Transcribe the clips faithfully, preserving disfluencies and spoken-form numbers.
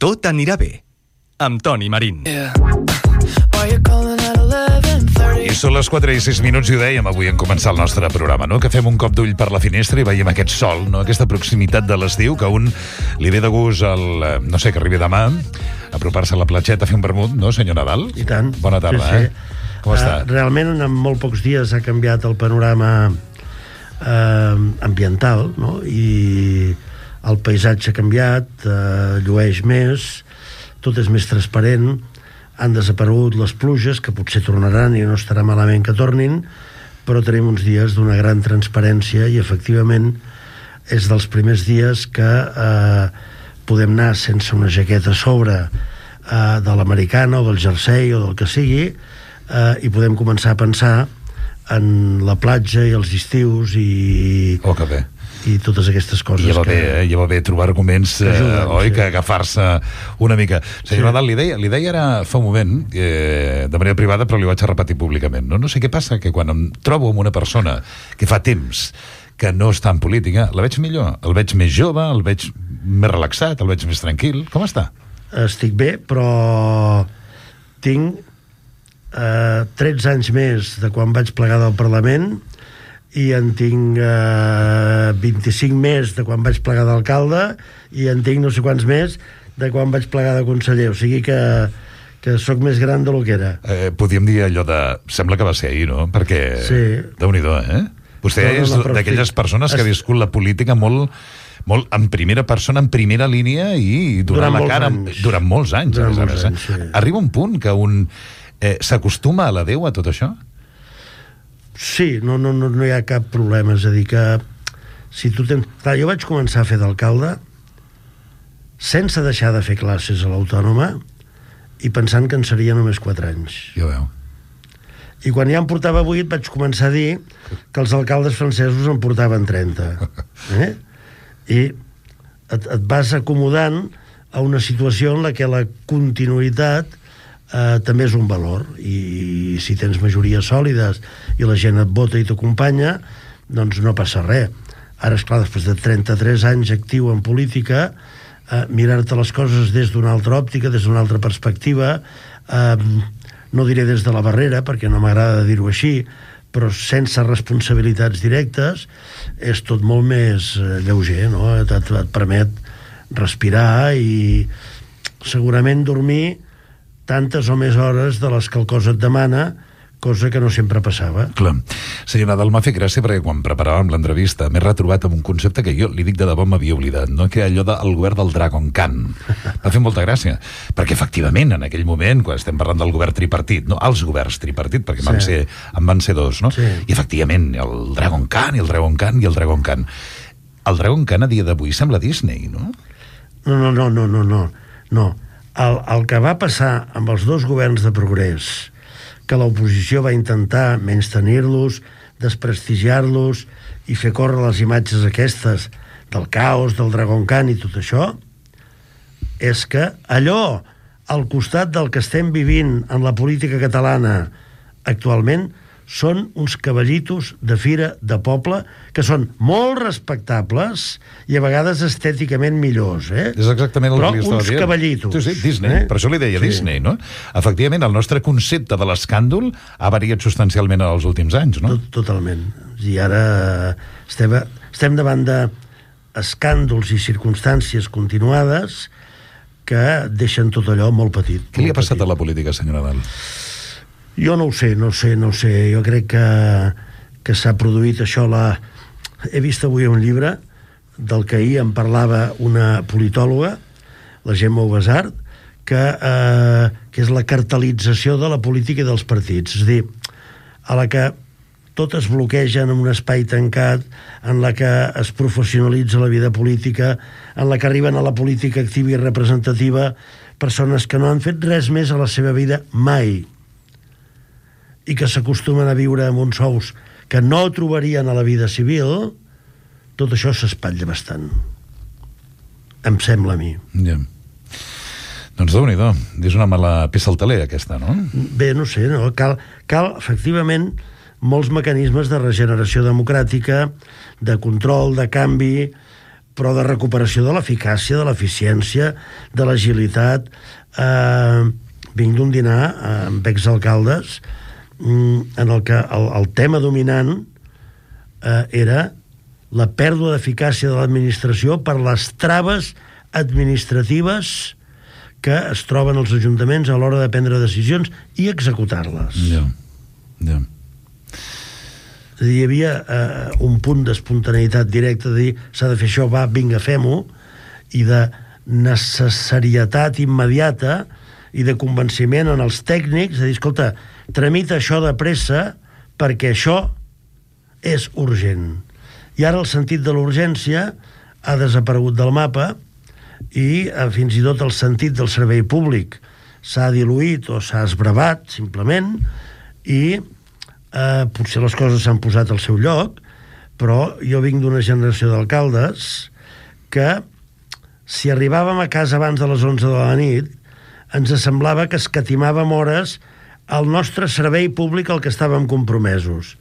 Tot anirà bé, amb Toni Marín. Yeah. I són les quatre i sis minuts i ho dèiem avui en començar el nostre programa, no? Que fem un cop d'ull per la finestra i veiem aquest sol, no? Aquesta proximitat de l'estiu que a un li ve de gust el, no sé, que arribi demà apropar-se a la platgeta a fer un vermut, no, senyor Nadal? I tant. Bona tarda, sí, sí. eh? Com està? Uh, realment en molt pocs dies ha canviat el panorama uh, ambiental, no? I el paisatge ha canviat, uh, llueix més, tot és més transparent, han desaparegut les pluges, que potser tornaran i no estarà malament que tornin, però tenim uns dies d'una gran transparència i efectivament és dels primers dies que eh, podem anar sense una jaqueta a sobre eh, de l'americana o del jersei o del que sigui eh, i podem començar a pensar en la platja i els estius i... Oh, que bé. I totes aquestes coses. I ja va que... bé, eh? Ja va bé trobar arguments, que ajuden, eh, oi, sí. Que agafar-se una mica. Senyor sí. Nadal, li deia, li deia ara fa un moment, eh, de manera privada, però li vaig a repetir públicament. No, no sé què passa, que quan em trobo amb una persona que fa temps que no està en política, la veig millor, el veig més jove, el veig més relaxat, el veig més tranquil. Com està? Estic bé, però tinc eh, tretze anys més de quan vaig plegar del Parlament i en tinc eh, vint-i-cinc més de quan vaig plegar d'alcalde i en tinc no sé quants més de quan vaig plegar de conseller, o sigui que, que sóc més gran del que era. Eh, podríem dir allò de... Sembla que va ser ahir, no? Perquè... Sí. Déu-n'hi-do, eh? Vostè no, no, no, és d'aquelles estic... persones que ha viscut la política molt, molt en primera persona, en primera línia i durant, durant la cara anys. durant molts anys. Durant a més molts a més, anys, sí. Arriba un punt que un eh, s'acostuma a la Déu a tot això? Sí, no, no, no, no hi ha cap problema. És a dir que si tu tens... Clar, jo vaig començar a fer d'alcalde sense deixar de fer classes a l'Autònoma i pensant que en seria només quatre anys. Ja veu. I quan ja en portava vuit vaig començar a dir que els alcaldes francesos en portaven trenta. Eh? I et, et vas acomodant a una situació en la que la continuïtat eh, també és un valor. I, i si tens majories sòlides i la gent et vota i t'acompanya, doncs no passa res. Ara, esclar, després de trenta-tres anys actiu en política, eh, mirar-te les coses des d'una altra òptica, des d'una altra perspectiva, eh, no diré des de la barrera, perquè no m'agrada dir-ho així, però sense responsabilitats directes, és tot molt més eh, lleuger, no? Et, et, et permet respirar i segurament dormir tantes o més hores de les que el cos et demana, cosa que no sempre passava. Clar. Senyor Nadal, m'ha fet gràcia perquè quan preparàvem l'entrevista m'he retrobat amb un concepte que jo li dic de debò m'havia oblidat, no? Que allò del govern del Dragon Khan. M'ha fet molta gràcia, perquè efectivament en aquell moment, quan estem parlant del govern tripartit, no, els governs tripartit, perquè sí. van ser, en van ser dos, no? Sí. I efectivament, el Dragon Khan, i el Dragon Khan, i el Dragon Khan. El Dragon Khan a dia d'avui sembla Disney, no? No, no, no, no, no, no. no. El, el que va passar amb els dos governs de progrés, que l'oposició va intentar menystenir-los, desprestigiar-los i fer córrer les imatges aquestes del caos, del Dragon Khan i tot això, és que allò, al costat del que estem vivint en la política catalana actualment, són uns cavallitos de fira de poble que són molt respectables i a vegades estèticament millors, eh? És exactament el Però que li estava uns dient. cavallitos. Sí, sí, Disney, eh? Per això li deia sí. Disney, no? Efectivament, el nostre concepte de l'escàndol ha variat substancialment en els últims anys, no? Tot, totalment. I ara estem, estem davant d'escàndols i circumstàncies continuades que deixen tot allò molt petit. Què li ha passat petit. a la política, senyor Nadal? Jo no ho sé, no ho sé, no ho sé. Jo crec que, que s'ha produït això. La... He vist avui un llibre del que ahir em parlava una politòloga, la Gemma Ubasart, que, eh, que és la cartelització de la política i dels partits. És a dir, a la que tot es bloqueja en un espai tancat, en la que es professionalitza la vida política, en la que arriben a la política activa i representativa persones que no han fet res més a la seva vida mai, i que s'acostumen a viure amb uns sous que no trobarien a la vida civil, tot això s'espatlla bastant. Em sembla a mi. Ja. Doncs déu-n'hi-do, és una mala peça al taler, aquesta, no? Bé, no sé, no? Cal, cal efectivament molts mecanismes de regeneració democràtica, de control, de canvi, però de recuperació de l'eficàcia, de l'eficiència, de l'agilitat. Eh, vinc d'un dinar eh, amb exalcaldes en el que el, el tema dominant eh, era la pèrdua d'eficàcia de l'administració per les traves administratives que es troben els ajuntaments a l'hora de prendre decisions i executar-les. Ja, ja. Hi havia eh, un punt d'espontaneïtat directa, de dir, s'ha de fer això, va, vinga, fem-ho, i de necessarietat immediata i de convenciment en els tècnics, de dir, escolta, tramita això de pressa perquè això és urgent. I ara el sentit de l'urgència ha desaparegut del mapa i eh, fins i tot el sentit del servei públic s'ha diluït o s'ha esbravat, simplement, i eh, potser les coses s'han posat al seu lloc, però jo vinc d'una generació d'alcaldes que, si arribàvem a casa abans de les onze de la nit, ens semblava que escatimàvem hores al nostre servei públic al que estàvem compromesos,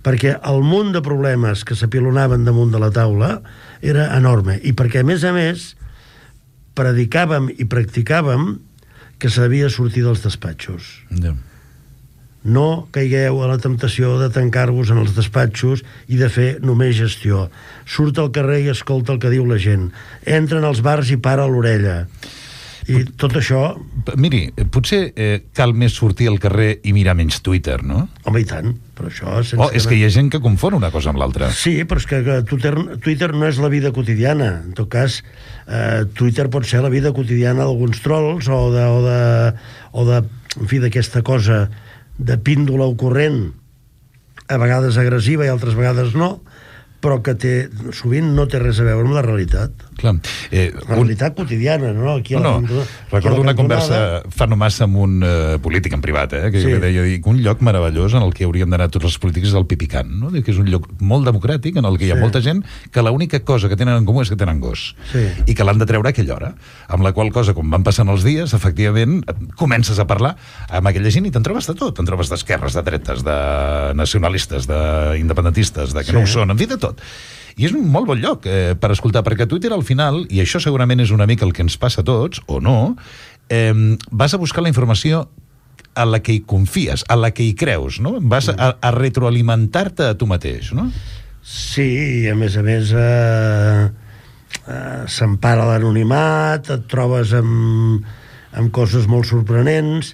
perquè el munt de problemes que s'apilonaven damunt de la taula era enorme, i perquè, a més a més, predicàvem i practicàvem que s'havia de sortir dels despatxos. Ja. No caigueu a la temptació de tancar-vos en els despatxos i de fer només gestió. Surt al carrer i escolta el que diu la gent. Entra en els bars i para l'orella. I tot això... Miri, potser eh, cal més sortir al carrer i mirar menys Twitter, no? Home, i tant, però això... Sense Oh, és que hi ha gent que confon una cosa amb l'altra. Sí, però és que, que Twitter, Twitter no és la vida quotidiana. En tot cas, eh, Twitter pot ser la vida quotidiana d'alguns trolls o de, o de, o de en fi, d'aquesta cosa de píndola ocorrent, a vegades agressiva i altres vegades no, però que té, sovint no té res a veure amb la realitat. Clar. Eh, la un... realitat quotidiana, no? Aquí a no, la no. Recordo una conversa fa no massa amb un uh, polític en privat, eh, que sí. jo deia que un lloc meravellós en el que haurien d'anar tots els polítics és el Pipicant, no? Que és un lloc molt democràtic en el que hi ha sí. molta gent que l'única cosa que tenen en comú és que tenen gos sí. i que l'han de treure a aquella hora, amb la qual cosa, com van passant els dies, efectivament comences a parlar amb aquella gent i te'n trobes de tot, te'n trobes d'esquerres, de dretes, de nacionalistes, d'independentistes, de que sí. no ho són, en fi, de tot. I és un molt bon lloc eh, per escoltar, perquè Twitter al final, i això segurament és una mica el que ens passa a tots, o no, eh, vas a buscar la informació a la que hi confies, a la que hi creus, no? Vas a, a retroalimentar-te a tu mateix, no? Sí, i a més a més eh, eh, s'empara l'anonimat, et trobes amb, amb coses molt sorprenents,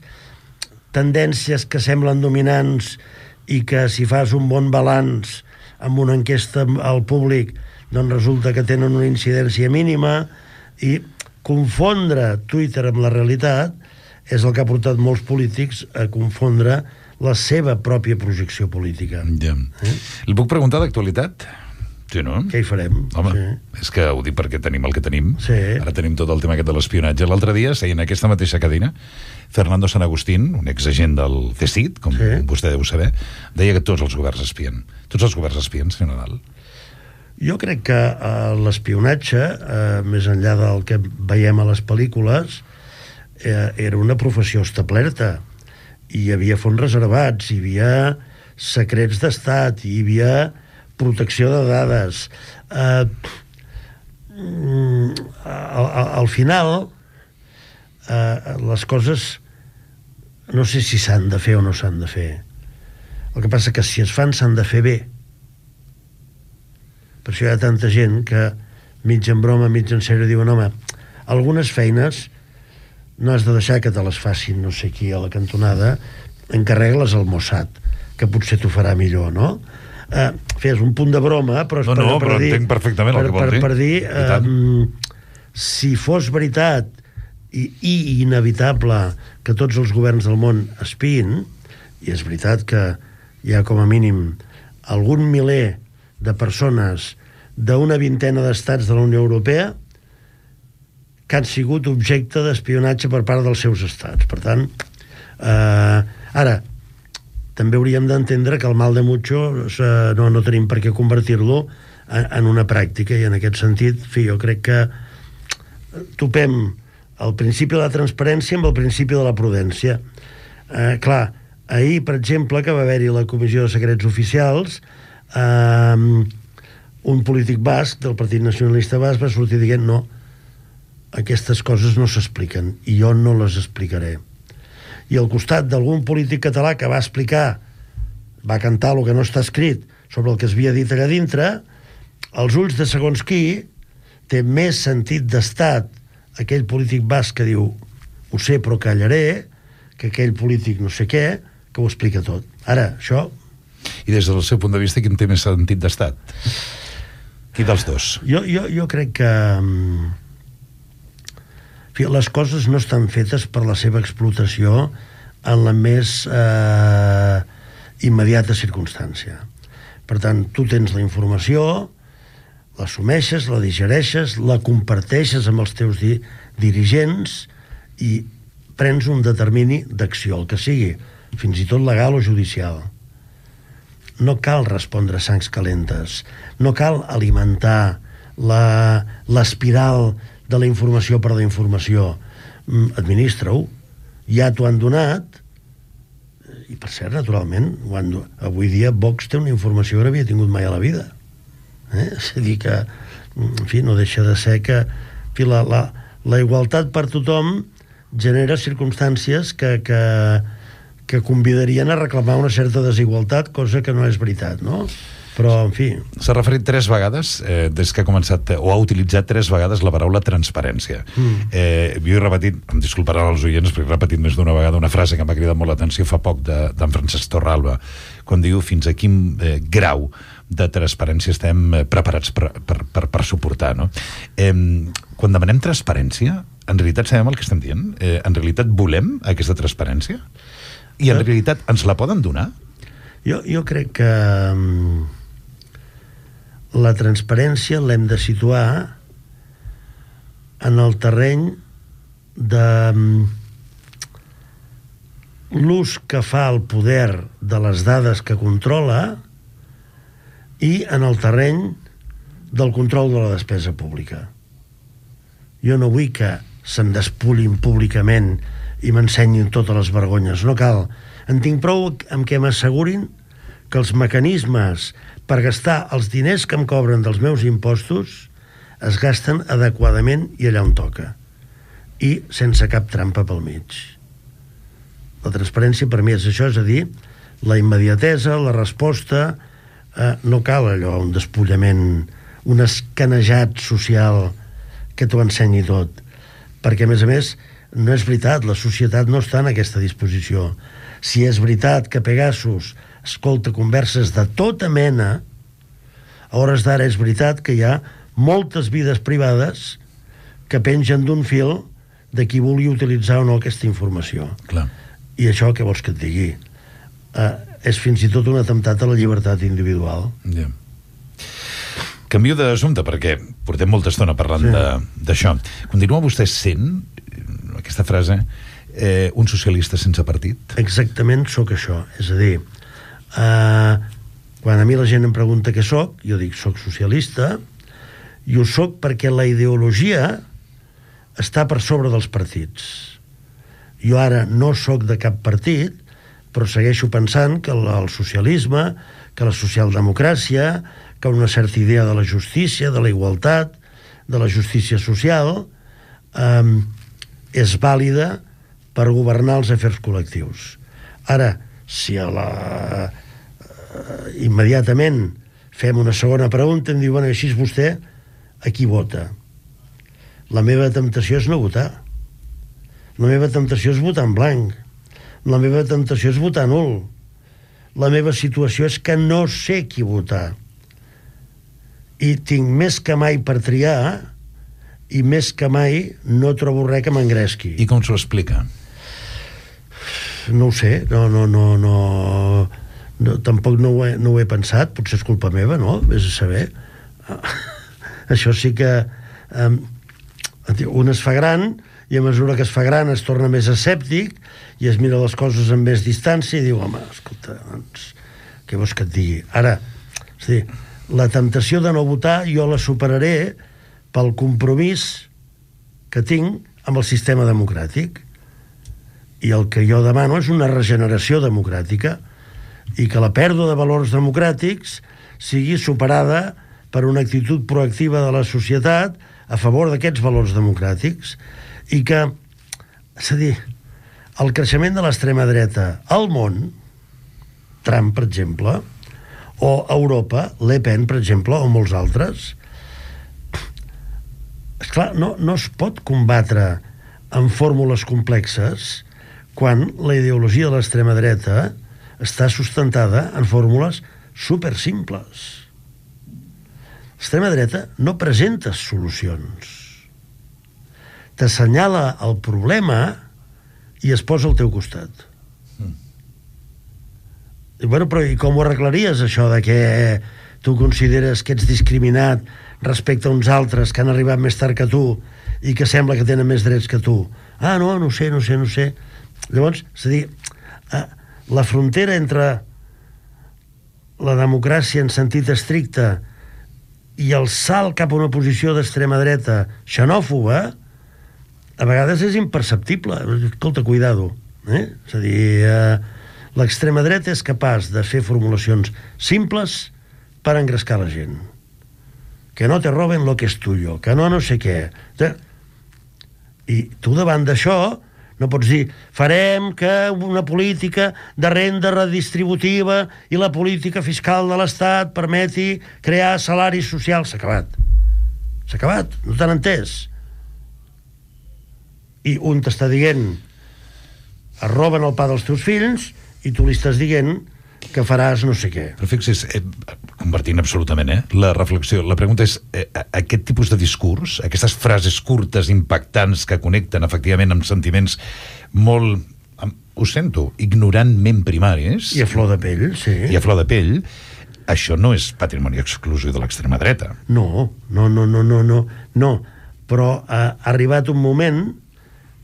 tendències que semblen dominants i que si fas un bon balanç amb una enquesta al públic, doncs resulta que tenen una incidència mínima, i confondre Twitter amb la realitat és el que ha portat molts polítics a confondre la seva pròpia projecció política. Ja. Eh? El puc preguntar d'actualitat? Sí, no? Què hi farem? Home, sí. és que ho dic perquè tenim el que tenim. Sí. Ara tenim tot el tema aquest de l'espionatge. L'altre dia, seient en aquesta mateixa cadira, Fernando San Agustín, un exagent del C S I D, com sí. vostè deu saber, deia que tots els governs espien. Tots els governs espien, senyor Nadal. Jo crec que eh, l'espionatge, eh, més enllà del que veiem a les pel·lícules, eh, era una professió establerta. Hi havia fons reservats, hi havia secrets d'estat, hi havia protecció de dades. Eh, al, al final, eh, les coses no sé si s'han de fer o no s'han de fer. El que passa que si es fan s'han de fer bé. Per això hi ha tanta gent que mig en broma, mig en sèrio diuen, home, algunes feines no has de deixar que te les facin no sé qui a la cantonada, encarrega-les al Mossad, que potser t'ho farà millor, no? Eh, fes un punt de broma, però és no, per, no, per però dir, entenc perfectament per, el que vol per, dir. per dir eh, si fos veritat i, i inevitable que tots els governs del món espiïn, i és veritat que hi ha com a mínim algun miler de persones d'una vintena d'estats de la Unió Europea que han sigut objecte d'espionatge per part dels seus estats. Per tant, eh, ara, també hauríem d'entendre que el mal de mucho eh, no, no tenim per què convertir-lo en, en una pràctica, i en aquest sentit, fi, jo crec que topem el principi de la transparència amb el principi de la prudència. Eh, clar, ahir, per exemple, que va haver-hi la Comissió de Secrets Oficials, eh, un polític basc del Partit Nacionalista Basc va sortir dient no, aquestes coses no s'expliquen i jo no les explicaré. I al costat d'algun polític català que va explicar, va cantar el que no està escrit sobre el que es havia dit allà dintre, als ulls de segons qui té més sentit d'estat aquell polític basc que diu ho sé però callaré, que aquell polític no sé què, que ho explica tot. Ara, això... I des del seu punt de vista, quin té més sentit d'estat? Qui dels dos? Jo, jo, jo crec que... En fi, les coses no estan fetes per la seva explotació en la més eh, immediata circumstància. Per tant, tu tens la informació, l'assumeixes, la digereixes, la comparteixes amb els teus di dirigents i prens un determini d'acció, el que sigui, fins i tot legal o judicial. No cal respondre a sangs calentes, no cal alimentar l'espiral de la informació per la informació. Administra-ho, ja t'ho han donat, i per cert, naturalment, quan, avui dia Vox té una informació que no havia tingut mai a la vida. Eh? És a dir que, en fi, no deixa de ser que en fi, la, la, la igualtat per tothom genera circumstàncies que, que, que convidarien a reclamar una certa desigualtat, cosa que no és veritat, no? Però, en fi... S'ha referit tres vegades, eh, des que ha començat, o ha utilitzat tres vegades la paraula transparència. Mm. Eh, jo he repetit, em disculparan els oients, perquè he repetit més d'una vegada una frase que m'ha cridat molt l'atenció fa poc d'en de, Francesc Torralba, quan diu fins a quin eh, grau de transparència estem eh, preparats per, per, per, per suportar, no? Eh, quan demanem transparència, en realitat sabem el que estem dient? Eh, en realitat volem aquesta transparència? I en realitat ens la poden donar? Jo, jo crec que um, la transparència l'hem de situar en el terreny de um, l'ús que fa el poder de les dades que controla i en el terreny del control de la despesa pública. Jo no vull que se'm despulin públicament i m'ensenyin totes les vergonyes. No cal. En tinc prou amb què m'assegurin que els mecanismes per gastar els diners que em cobren dels meus impostos es gasten adequadament i allà on toca. I sense cap trampa pel mig. La transparència per mi és això, és a dir, la immediatesa, la resposta, eh, no cal allò, un despullament, un escanejat social que t'ho ensenyi tot. Perquè, a més a més, no és veritat, la societat no està en aquesta disposició. Si és veritat que Pegasus escolta converses de tota mena, a hores d'ara és veritat que hi ha moltes vides privades que pengen d'un fil de qui vulgui utilitzar o no aquesta informació. Clar. I això, què vols que et digui? Eh, és fins i tot un atemptat a la llibertat individual. Ja. Canvio d'assumpte, perquè portem molta estona parlant sí. d'això. Continua vostè sent, aquesta frase, eh, un socialista sense partit? Exactament sóc això. És a dir, eh, quan a mi la gent em pregunta què sóc, jo dic sóc socialista, i ho sóc perquè la ideologia està per sobre dels partits. Jo ara no sóc de cap partit, però segueixo pensant que el, el socialisme, que la socialdemocràcia, que una certa idea de la justícia, de la igualtat, de la justícia social, eh, és vàlida per governar els afers col·lectius. Ara, si a la, eh, immediatament fem una segona pregunta, em diuen, així és vostè, a qui vota? La meva temptació és no votar. La meva temptació és votar en blanc. La meva temptació és votar nul. La meva situació és que no sé qui votar. I tinc més que mai per triar i més que mai no trobo res que m'engresqui. I com s'ho explica? No ho sé, no, no, no, no, no tampoc no ho, he, no ho he pensat, potser és culpa meva, no? Vés a saber. Això sí que um, un es fa gran i a mesura que es fa gran es torna més escèptic i es mira les coses amb més distància i diu, home, escolta, doncs, què vols que et digui? Ara, és a dir, la temptació de no votar jo la superaré pel compromís que tinc amb el sistema democràtic. I el que jo demano és una regeneració democràtica i que la pèrdua de valors democràtics sigui superada per una actitud proactiva de la societat a favor d'aquests valors democràtics, i que, és a dir, el creixement de l'extrema dreta al món, Trump, per exemple, o a Europa, Le Pen, per exemple, o molts altres, esclar, no, no es pot combatre amb fórmules complexes quan la ideologia de l'extrema dreta està sustentada en fórmules supersimples. L'extrema dreta no presenta solucions. T'assenyala el problema i es posa al teu costat. Mm. I, bueno, però i com ho arreglaries, això de que tu consideres que ets discriminat respecte a uns altres que han arribat més tard que tu i que sembla que tenen més drets que tu? Ah, no, no sé, no sé, no sé. Llavors, és a dir, la frontera entre la democràcia en sentit estricte i el salt cap a una posició d'extrema dreta xenòfoba a vegades és imperceptible. Escolta, cuidado, eh? És a dir, eh, l'extrema dreta és capaç de fer formulacions simples per engrescar la gent. Que no te roben lo que es tuyo, que no no sé què. I tu davant d'això no pots dir, farem que una política de renda redistributiva i la política fiscal de l'Estat permeti crear salaris socials. S'ha acabat. S'ha acabat. No t'han entès. I un t'està dient es roben el pa dels teus fills i tu li estàs dient que faràs no sé què. Però fixis, eh, convertint absolutament, eh, la reflexió, la pregunta és, eh, aquest tipus de discurs, aquestes frases curtes, impactants, que connecten efectivament amb sentiments molt, amb, ho sento, ignorantment primaris... I a flor de pell, sí. I a flor de pell, això no és patrimoni exclusiu de l'extrema dreta. No, no, no, no, no, no, no. Però ha arribat un moment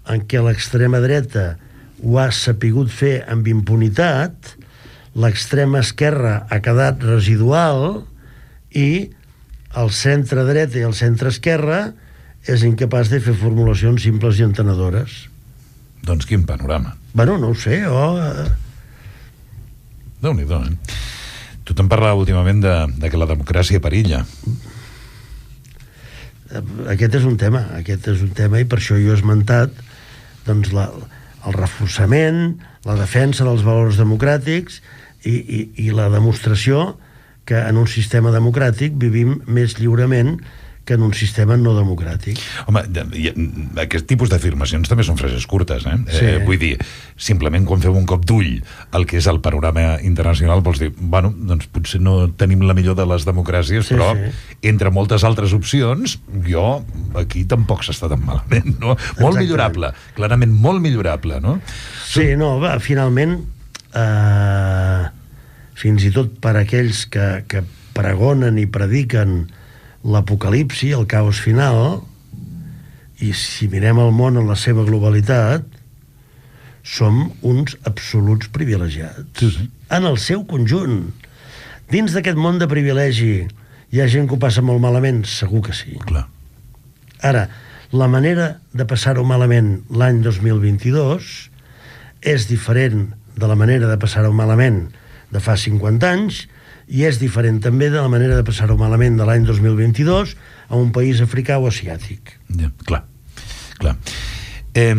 en què l'extrema dreta ho ha sapigut fer amb impunitat, l'extrema esquerra ha quedat residual i el centre dreta i el centre esquerra és incapaç de fer formulacions simples i entenedores. Doncs quin panorama. Bueno, no ho sé, o... Oh, Déu-n'hi-do, eh? Tothom parla últimament de, de que la democràcia perilla. Aquest és un tema, aquest és un tema, i per això jo he esmentat doncs, la, el reforçament, la defensa dels valors democràtics i, i, i la demostració que en un sistema democràtic vivim més lliurement que en un sistema no democràtic. Home, aquest tipus d'afirmacions també són frases curtes, eh? Sí. eh? Vull dir, simplement quan fem un cop d'ull al que és el panorama internacional, vols dir, bueno, doncs potser no tenim la millor de les democràcies, sí, però sí, entre moltes altres opcions, jo aquí tampoc s'està tan malament, no? Molt Exactament. Millorable, clarament molt millorable, no? Sí, no, va, finalment, eh, fins i tot per aquells que, que pregonen i prediquen l'apocalipsi, el caos final, i si mirem el món en la seva globalitat, som uns absoluts privilegiats. Sí, sí. En el seu conjunt. Dins d'aquest món de privilegi hi ha gent que ho passa molt malament? Segur que sí. Clar. Ara, la manera de passar-ho malament l'any dos mil vint-i-dos és diferent de la manera de passar-ho malament de fa cinquanta anys, i és diferent també de la manera de passar-ho malament de l'any dos mil vint-i-dos a un país africà o asiàtic. Ja, clar, clar. Eh,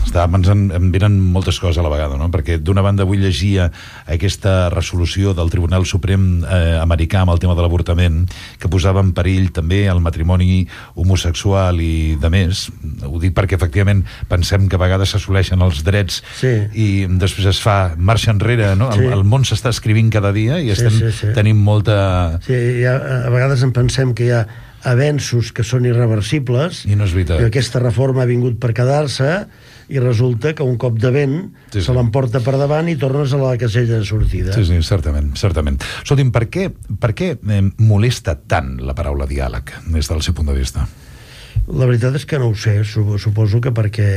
està pensant, em venen moltes coses a la vegada, no? Perquè d'una banda avui llegia aquesta resolució del Tribunal Suprem eh, americà amb el tema de l'avortament, que posava en perill també el matrimoni homosexual i de més. Ho dic perquè efectivament pensem que a vegades s'assoleixen els drets, sí, i després es fa marxa enrere, no? Sí. El, el món s'està escrivint cada dia i estem, sí, sí, sí. tenim molta... Sí, ha, a vegades en pensem que hi ha avenços que són irreversibles, i no és veritat. Que aquesta reforma ha vingut per quedar-se, i resulta que un cop de vent sí, sí. se l'emporta per davant i tornes a la casella de sortida. Sí, sí, certament, certament. Escolti'm, per què, per què eh, molesta tant la paraula diàleg des del seu punt de vista? La veritat és que no ho sé. Suposo que perquè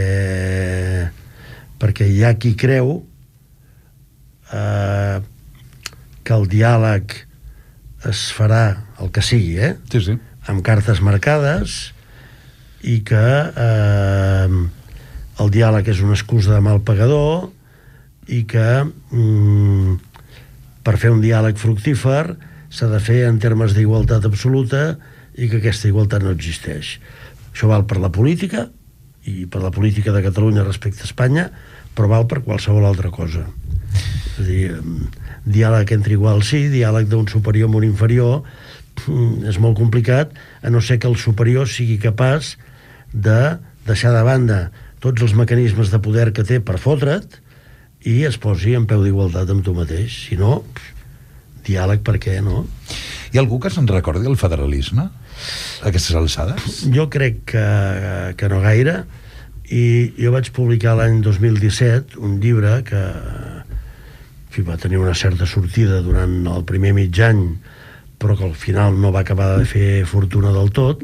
perquè hi ha qui creu eh, que el diàleg es farà el que sigui, eh? Sí, sí. Amb cartes marcades, i que eh, el diàleg és una excusa de mal pagador, i que mm, per fer un diàleg fructífer s'ha de fer en termes d'igualtat absoluta i que aquesta igualtat no existeix. Això val per la política i per la política de Catalunya respecte a Espanya, però val per qualsevol altra cosa. És a dir, diàleg entre iguals sí, diàleg d'un superior amb un inferior és molt complicat, a no ser que el superior sigui capaç de deixar de banda tots els mecanismes de poder que té per fotre't i es posi en peu d'igualtat amb tu mateix. Si no, diàleg per què, no? Hi ha algú que se'n recordi el federalisme a aquestes alçades? Jo crec que, que no gaire, i jo vaig publicar l'any dos mil disset un llibre que en fi, va tenir una certa sortida durant el primer mig any, però que al final no va acabar de fer fortuna del tot,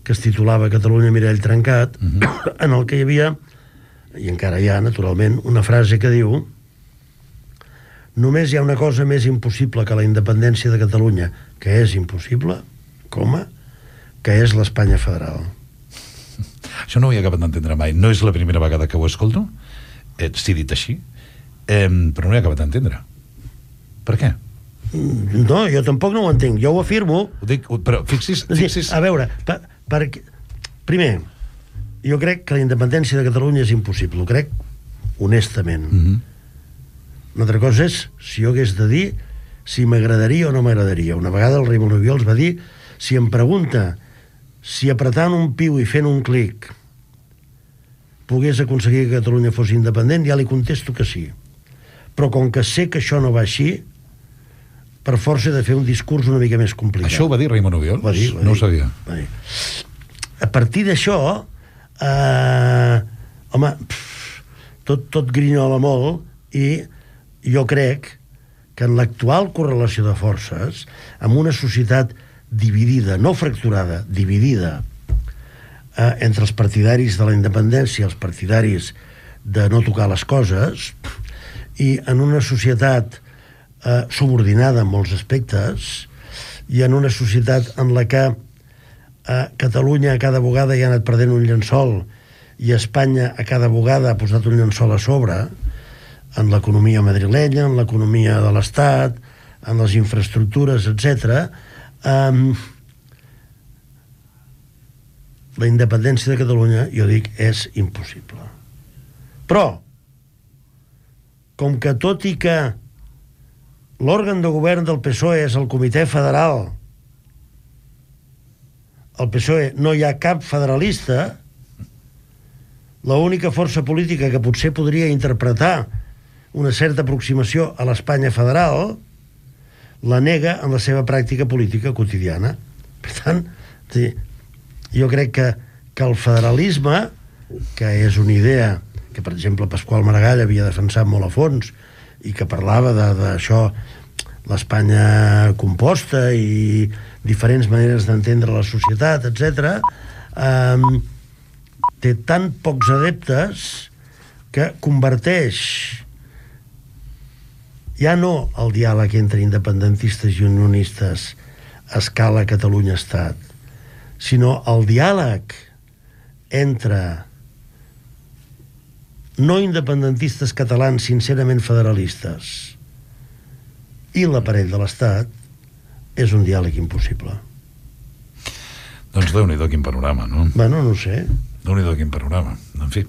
que es titulava Catalunya mirall trencat, uh-huh. en el que hi havia, i encara hi ha, naturalment, una frase que diu: només hi ha una cosa més impossible que la independència de Catalunya, que és impossible, coma, que és l'Espanya federal. Això no ho he acabat d'entendre mai. No és la primera vegada que ho escolto, eh, si dit així, eh, però no ho he acabat d'entendre. Per què? No, jo tampoc no ho entenc. Jo ho afirmo. Ho dic, però fixis... fixis... A veure, per, per, primer, jo crec que la independència de Catalunya és impossible. Ho crec honestament. Mm-hmm. Una altra cosa és si jo hagués de dir si m'agradaria o no m'agradaria. Una vegada el Raimon Obiols va dir: si em pregunta si apretant un piu i fent un clic pogués aconseguir que Catalunya fos independent, ja li contesto que sí. Però com que sé que això no va així, per força he de fer un discurs una mica més complicat. Això ho va dir Raimon Obiols? Va dir, va no dir, ho sabia. Va dir. A partir d'això, eh, home, pff, tot, tot grinyola molt, i jo crec que en l'actual correlació de forces, amb una societat dividida, no fracturada, dividida, eh, entre els partidaris de la independència i els partidaris de no tocar les coses, i en una societat eh, subordinada en molts aspectes, i en una societat en la que eh, Catalunya a cada vegada hi ha anat perdent un llençol i Espanya a cada vegada ha posat un llençol a sobre, en l'economia madrilenya, en l'economia de l'Estat, en les infraestructures, etcètera, Um, la independència de Catalunya, jo dic, és impossible. Però, com que tot i que l'òrgan de govern del P S O E és el Comitè Federal, al P S O E no hi ha cap federalista, l'única força política que potser podria interpretar una certa aproximació a l'Espanya federal la nega en la seva pràctica política quotidiana. Per tant, jo crec que, que el federalisme, que és una idea que, per exemple, Pasqual Maragall havia defensat molt a fons i que parlava d'això, l'Espanya composta i diferents maneres d'entendre la societat, etcètera, eh, té tan pocs adeptes que converteix ja no el diàleg entre independentistes i unionistes a escala Catalunya-Estat, sinó el diàleg entre no independentistes catalans sincerament federalistes i l'aparell de l'Estat, és un diàleg impossible. Doncs Déu-n'hi-do quin panorama, no? Bueno, no sé. Déu-n'hi-do quin panorama. En fi,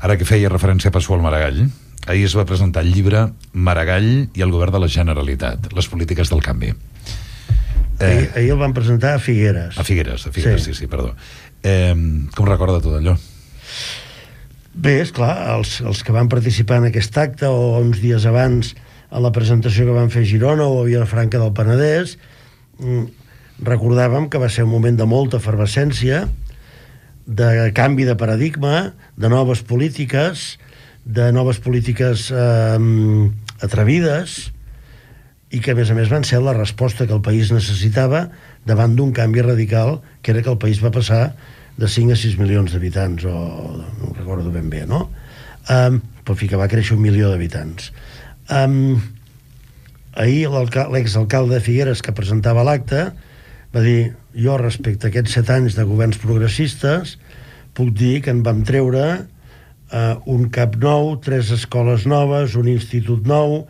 ara que feia referència a Pasqual Maragall, ahir es va presentar el llibre Maragall i el govern de la Generalitat, les polítiques del canvi. Eh, ahir, ahir el van presentar a Figueres. A Figueres, a Figueres, sí, sí, sí perdó. Eh, com recorda tot allò? Bé, esclar, els, els que van participar en aquest acte o uns dies abans a la presentació que van fer a Girona o a Vilafranca del Penedès, recordàvem que va ser un moment de molta efervescència, de canvi de paradigma, de noves polítiques, de noves polítiques eh, atrevides, i que a més a més van ser la resposta que el país necessitava davant d'un canvi radical, que era que el país va passar de cinc a sis milions d'habitants, o no ho recordo ben bé, no? Um, però fi que va créixer un milió d'habitants. Um, ahir l'exalcalde de Figueres, que presentava l'acte, va dir: jo respecte a aquests set anys de governs progressistes puc dir que en vam treure Uh, un cap nou, tres escoles noves, un institut nou,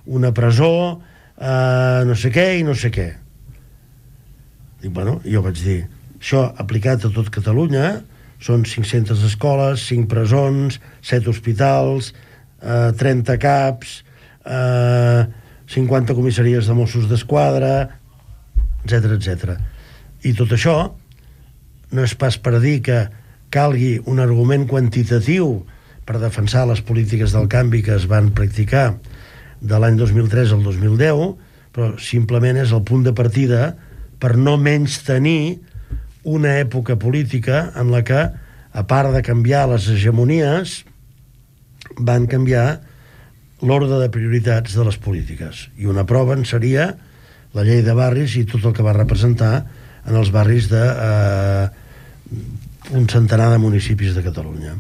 una presó, uh, no sé què i no sé què. Dic, bueno, jo vaig dir, això aplicat a tot Catalunya són cinc-centes escoles, cinc presons, set hospitals, uh, trenta caps, uh, cinquanta comissaries de Mossos d'Esquadra, etcètera, etcètera. I tot això no és pas per dir que calgui un argument quantitatiu per defensar les polítiques del canvi que es van practicar de l'any dos mil tres al dos mil deu, però simplement és el punt de partida per no menys tenir una època política en la que, a part de canviar les hegemonies, van canviar l'ordre de prioritats de les polítiques. I una prova en seria la llei de barris i tot el que va representar en els barris de eh, un centenar de municipis de Catalunya.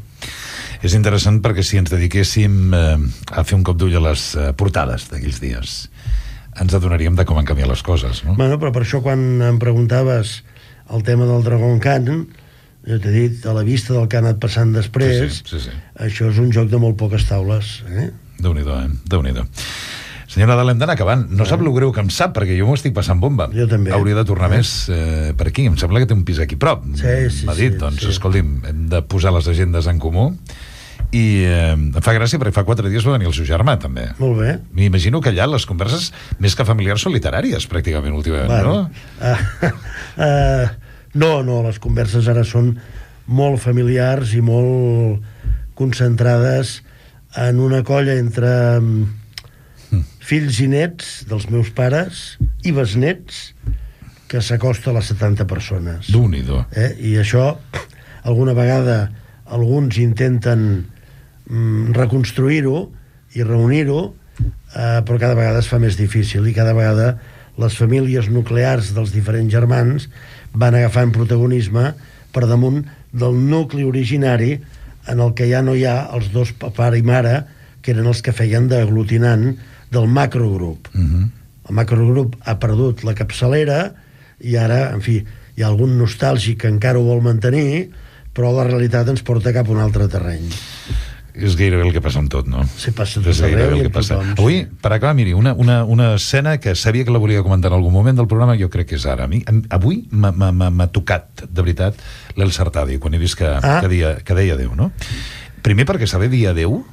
És interessant perquè si ens dediquéssim eh, a fer un cop d'ull a les eh, portades d'aquells dies, ens adonaríem de com han canviat les coses, no? Bueno, però per això quan em preguntaves el tema del Dragon Khan, jo t'he dit, a la vista del que ha anat passant després, sí, sí, sí, sí. Això és un joc de molt poques taules, eh? Déu-n'hi-do, eh? Déu-n'hi-do. Senyor Nadal, hem d'anar acabant. No sap el greu que em sap, perquè jo m'ho estic passant bomba. Jo també. Hauria de tornar eh? més eh, per aquí. Em sembla que té un pis aquí prop. Sí, sí, M'ha dit, sí, doncs, sí. escolti'm, hem de posar les agendes en comú. I eh, em fa gràcia perquè fa quatre dies va venir el seu germà, també. Molt bé. M'imagino que allà les converses, més que familiars, són literàries, pràcticament, últimament, Bueno, no? uh, uh, no, no, les converses ara són molt familiars i molt concentrades en una colla entre mm. fills i nets dels meus pares i besnets que s'acosta a les setanta persones. Déu-n'hi-do. Eh? I això, alguna vegada alguns intenten mm, reconstruir-ho i reunir-ho, eh, però cada vegada es fa més difícil i cada vegada les famílies nuclears dels diferents germans van agafant protagonisme per damunt del nucli originari en el que ja no hi ha els dos pare i mare que eren els que feien d'aglutinant del macrogrup. Uh-huh. El macrogrup ha perdut la capçalera i ara, en fi, hi ha algun nostàlgic que encara ho vol mantenir, però la realitat ens porta cap a un altre terreny. És gairebé el que passa amb tot, no? Sí, passa tot és gairebé arreu el i que amb passa. tothom, Avui, sí. per acabar, miri, una, una, una escena que sabia que la volia comentar en algun moment del programa, jo crec que és ara. A mi, avui m'ha- m'ha m'ha tocat, de veritat, l'Elsa Artadi, quan he vist que, Ah. que, dia, que deia adéu, no? Primer perquè saber dir adéu,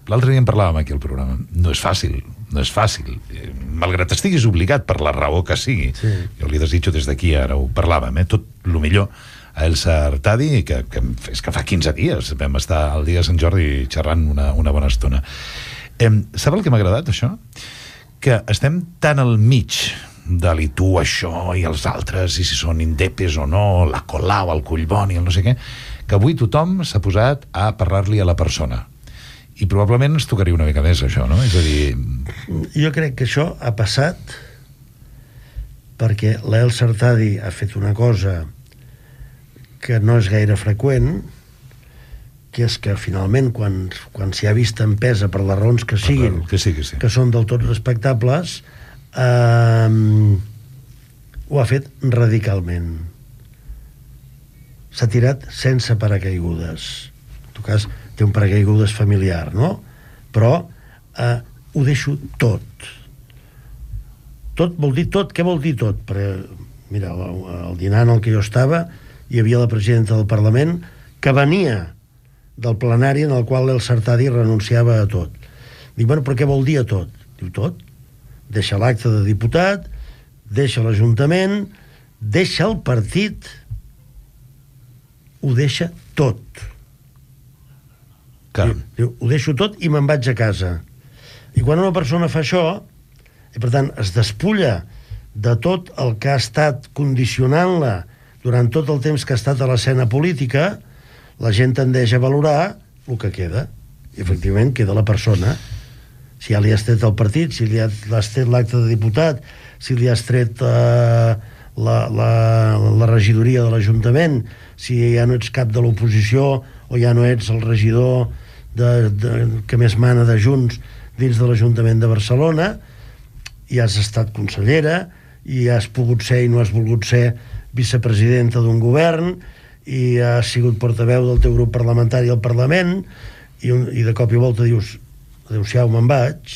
l'altre dia en parlàvem aquí al programa, no és fàcil, no és fàcil. Eh, Malgrat estiguis obligat per la raó que sigui, Sí. jo li desitjo des d'aquí, ara ho parlàvem, eh? Tot el millor a Elsa Artadi, que, que és que fa quinze dies vam estar al dia de Sant Jordi xerrant una, una bona estona. Eh, sap el que m'ha agradat, això? Que estem tan al mig de li tu això i els altres, i si són indepes o no, la Colau, el Collboni, el no sé què, que avui tothom s'ha posat a parlar-li a la persona. I probablement ens tocaria una mica més, això, no? És a dir... Jo crec que això ha passat perquè l'Elsa Artadi ha fet una cosa que no és gaire freqüent, que és que finalment quan, quan s'hi ha vist empesa per les raons que siguin, Que sí, que sí. que són del tot respectables, eh, ho ha fet radicalment. S'ha tirat sense paracaigudes. En tot cas, té un paracaigudes familiar, no? Però eh, ho deixo tot. Tot vol dir tot. Què vol dir tot? Perquè, mira, al dinar en el que jo estava hi havia la presidenta del Parlament que venia del plenari en el qual l'Elsa Artadi renunciava a tot. Dic, bueno, però què vol dir a tot? Diu, tot. Deixa l'acte de diputat, deixa l'Ajuntament, deixa el partit, ho deixa tot. Caram. Diu, diu, ho deixo tot i me'n vaig a casa. I quan una persona fa això, i per tant es despulla de tot el que ha estat condicionant-la durant tot el temps que ha estat a l'escena política, la gent tendeix a valorar el que queda. I efectivament queda la persona. Si ja li has tret el partit, si li has tret l'acte de diputat, si li has tret eh, la, la, la regidoria de l'Ajuntament, si ja no ets cap de l'oposició o ja no ets el regidor de, de, que més mana de Junts dins de l'Ajuntament de Barcelona, i has estat consellera, i has pogut ser i no has volgut ser vicepresidenta d'un govern, i has sigut portaveu del teu grup parlamentari al Parlament, i, un, i de cop i volta dius, adéu-siau, me'n vaig,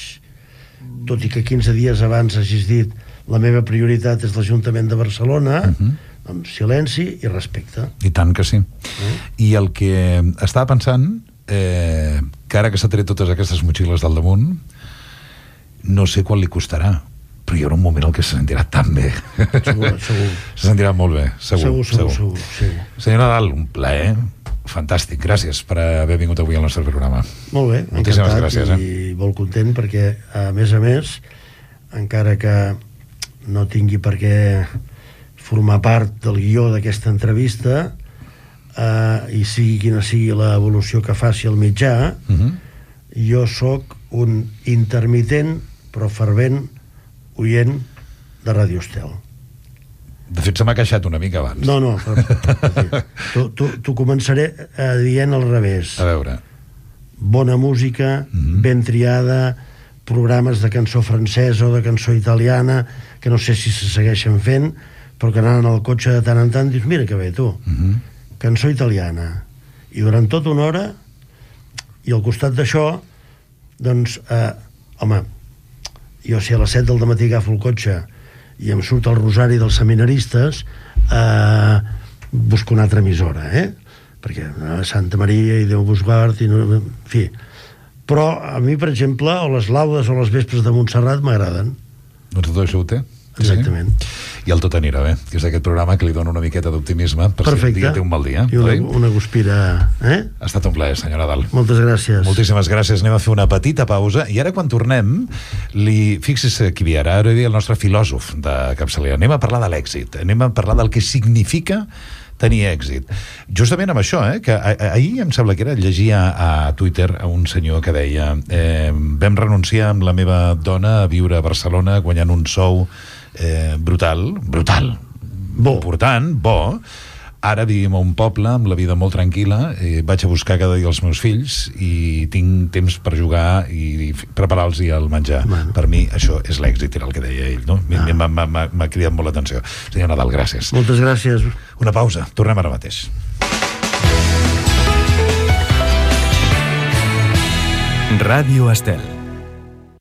tot i que quinze dies abans hagis dit la meva prioritat és l'Ajuntament de Barcelona, uh-huh. doncs silenci i respecte. I tant que sí. Uh-huh. I el que estava pensant, eh, que ara que s'ha tret totes aquestes motxilles del damunt, no sé quan li costarà, però hi haurà un moment en què se sentirà tan bé. Segur, segur. Se sentirà molt bé, segur. Segur, segur, segur, segur sí. Senyor Nadal, un plaer fantàstic. Gràcies per haver vingut avui al nostre programa. Molt bé, moltíssimes encantat gràcies, eh? I molt content perquè, a més a més, encara que no tingui per què formar part del guió d'aquesta entrevista, eh, i sigui quina sigui l'evolució que faci el mitjà, uh-huh. jo sóc un intermitent però fervent oient de Ràdio Estel. De fet, se m'ha queixat una mica abans. No, no, t'ho començaré eh, dient al revés. A veure. Bona música, uh-huh. ben triada, programes de cançó francesa o de cançó italiana, que no sé si se segueixen fent, però que anant al cotxe de tant en tant dius, mira que bé, tu, uh-huh. cançó italiana. I durant tota una hora, i al costat d'això, doncs, eh, home, jo si a les set del dematí agafo el cotxe i em surt el rosari dels seminaristes, eh, busco una altra emissora, eh? Perquè eh, Santa Maria i Déu vos guard, i no, en fi. Però a mi, per exemple, o les laudes o les vespres de Montserrat m'agraden. Doncs tot això ho té. Exactament. Sí. I el tot anirà bé, que és aquest programa que li dona una miqueta d'optimisme per perfecte. Si un dia té un mal dia. I una, una guspira, eh? Ha estat un plaer, senyor Nadal. Moltes gràcies. Moltíssimes gràcies. Anem a fer una petita pausa i ara quan tornem, li... fixi's qui ve ara, ara ve el nostre filòsof de capçalera. Anem a parlar de l'èxit, anem a parlar del que significa tenir èxit. Justament amb això, eh, que ahir em sembla que era, llegia a Twitter a un senyor que deia eh, vam renunciar amb la meva dona a viure a Barcelona guanyant un sou eh, brutal, brutal, bo. important, bo. Ara vivim a un poble amb la vida molt tranquil·la, eh, vaig a buscar cada dia els meus fills i tinc temps per jugar i preparar-los el menjar. Bueno. Per mi això és l'èxit, era el que deia ell, no? Ah. M'ha cridat molt l'atenció. Senyor Nadal, gràcies. Moltes gràcies. Una pausa, tornem ara mateix. Ràdio Estel.